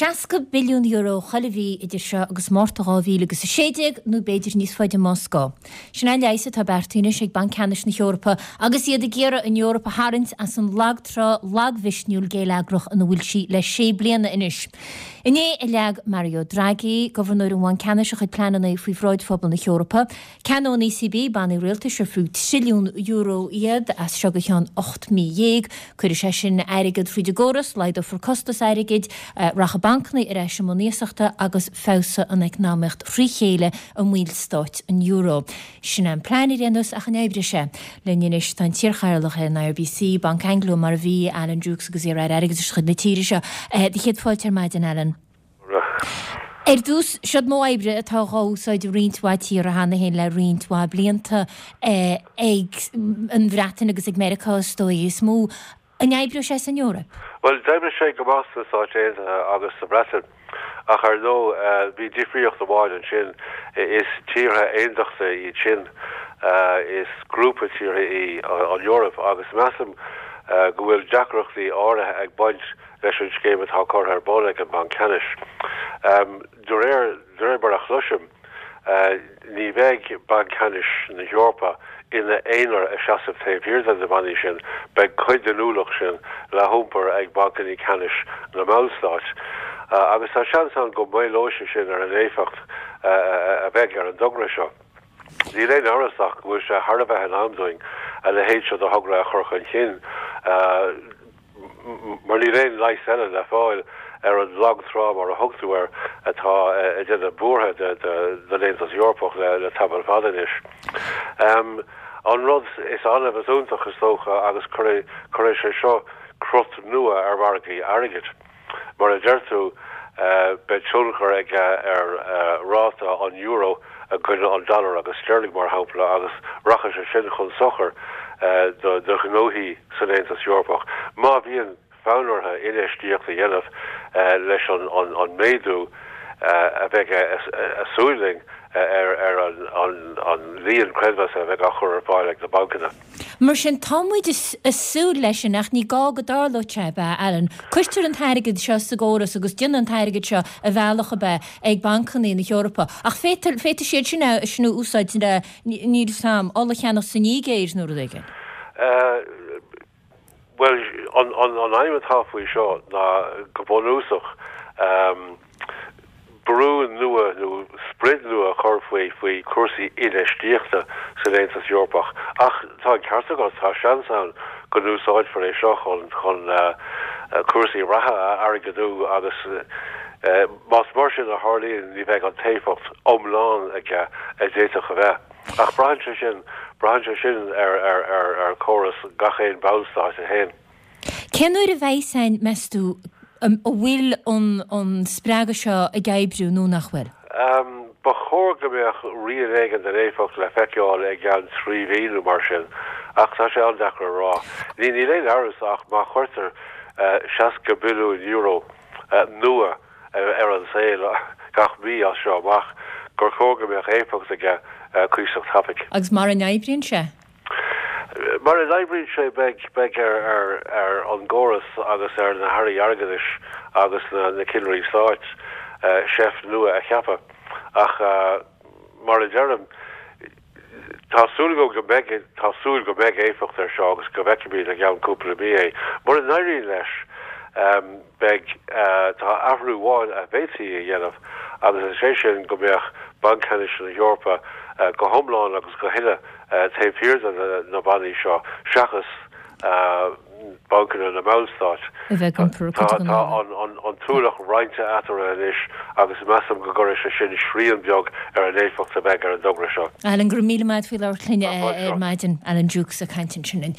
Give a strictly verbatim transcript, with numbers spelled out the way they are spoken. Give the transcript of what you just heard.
Seasca billiún euro chuile mhí idir seo agus Márta dhá mhíle agus a sé déag, nó b'fhéidir níos faide más gá. Sin é an leigheas atá beartaithe anois ag Banc Ceannais na hEorpa agus iad ag iarraidh an Eoraip a tharraingt as an lagtrá lagmhisniúil géilleagrach ina bhfuil sí le sé bliana anois. Inné a leag Mario Draghi, Gobharnóir an Bhainc Ceannais, a chuid pleananna faoi bhráid phobal na hEorpa. Ceannóidh an ECB bannaí rialtais ar fiú trilliún euro iad as seo go ceann ocht mí dhéag. Cuirfidh sé sin airgead fríd an gcóras, laghdófar costas airgid, rachaidh bancanna ar ais i mbun iasachta agus feabhsóidh an eacnamaíocht thrí chéile i mballstáit an euro. Sin é an plean ar aon nós ach an oibreoidh sé? Linn anois tá an t-iarchathaoirleach ar an IRBC, Banc Anglo mar a bhí, Alan Dukes agus iar-aire airgeadais de chuid na tíre seo. Do chéad fáilte ar maidin, Alan. Ar dtús, seod modh oibre atá dhá úsáid i roinnt mhaith tíortha cheana féin le roinnt mhaith blianta, ag an Bhreatain agus ag Meiriceá is dóigh is mó. An oibreoidh sé san Eoraip? Bhuel, d'oibrigh sé go maith sna Stáit Aontaithe agus sa Bhreatain, ach ar ndóigh, bhí difríocht amháin ansin, is tíortha aondachta iad sin, is grúpa tíortha í an Eoraip agus measaim go bhfuil deacrachtaí áirithe ag baint leis an scéim atá curtha ar bun ag an mBanc Ceannais. De réir de réir mar a chloisim, ní bheidh Banc Ceannais na hEorpa ina aonar ag seasamh taobh thiar de na bannaí sin, beidh cuid den ualach sin le hiompar ag bancanna ceannais na mballstát. Agus tá seans ann go maolóidh sé sin ar an éifeacht a bheidh ar an dtogra seo. Níl aon amhras ach go bhfuil sé thar a bheith in am dúinn a leithéid seo de thogra a chur chun cinn. Mar níl aon leigheas eile le fáil ar an lag trá, mar a thug tú air, atá ag déanamh buartha don Aontas Eorpach le tamall fada anois. An rud is annamh is iontach, is dócha, agus cuirfidh sé seo crot nua ar mhargaí airgid. Mar a deir tú, beidh tionchar aige ar ráta an euro i gcoinne an dollar agus sterling, mar shampla, agus rachaidh sé sin chun sochair do ghnóthaí san Aontas Eorpach má bhíonn fonn orthu infheistíocht a dhéanamh leis an méadú a bheidh ag súil linn ar an líon creidmheasa a bheidh á chur ar fáil ag na bancanna. Mar sin, tá muid ag súil leis sin, ach ní gá go dtarlódh sé, ab ea, Alan? Cuirtear an t-airgead seo sa gcóras agus déanann an t-airgead seo a bhealach, ab ea, ag bancanna na hEorpa. Ach féadfaidh siad sin é sin a úsáid le, níl 'fhios a'm, ola a cheannach sa Nigéir nó rud éigin. Bhuel, an aidhm atá faoi seo ná go bunúsach brú nua nó sprid nua a chur faoi faoi chúrsaí infheistíochta san Aontas Eorpach. Ach tá an ceart agat, tá seans ann go n-úsáidfear é seo chun chun cúrsaí reatha a airgeadú agus más mar sin a tharlaíonn ní bheidh an t-éifeacht iomlán aige a d'fhéadfadh a bheith. Ach braitheann sé sin, braitheann sé sin ar, ar, ar, ar chóras gach aon bhallstáit é féin. Cén uair a bheidh a fhios againn, meas tú, an bhfuil an, an spreagadh seo ag oibriú nó nach bhfuil? Ba chóir go mbeadh rian éigin den éifeacht le feiceáil i gceann trí mhí nó mar sin, ach tá sé an-deacair a rá. Ní, níl aon amhras ach má chuirtear seasca billiún euro nua ar an saol gach mí as seo amach, gur chóir go mbeadh éifeacht aige cuíosach tapaidh. Agus mara n-oibríonn sé? Mara n-oibríonn sé, beidh beidh ar ar an gcóras agus ar na hairí airgeadais agus na cinnirí stáit seift nua a cheapadh. Ach mar a deirim, tá súil agam go mbeidh tá súil go mbeidh éifeacht air seo agus go bhfeicfimid i gceann cúpla mí é. Mura n-éiríonn leis, Beidh. Tá athrú amháin a bhféadfaí a dhéanamh agus is é sin go mbeadh Banc Ceannais na hEorpa go hiomlán agus go huile taobh thiar de na bannaí seo seachas bancanna na mballstát. A bheith ag iompar cuid den Tá ualach. an t-ualach roinnte eatarthu anois agus measaim go gcuirfidh sé sin srian beag ar an éifeacht a bheidh ar an dtogra seo. Alan, go raibh míle maith agat faoi labhairt linn ar maidin. Alan Dukes ag caint ansin linn.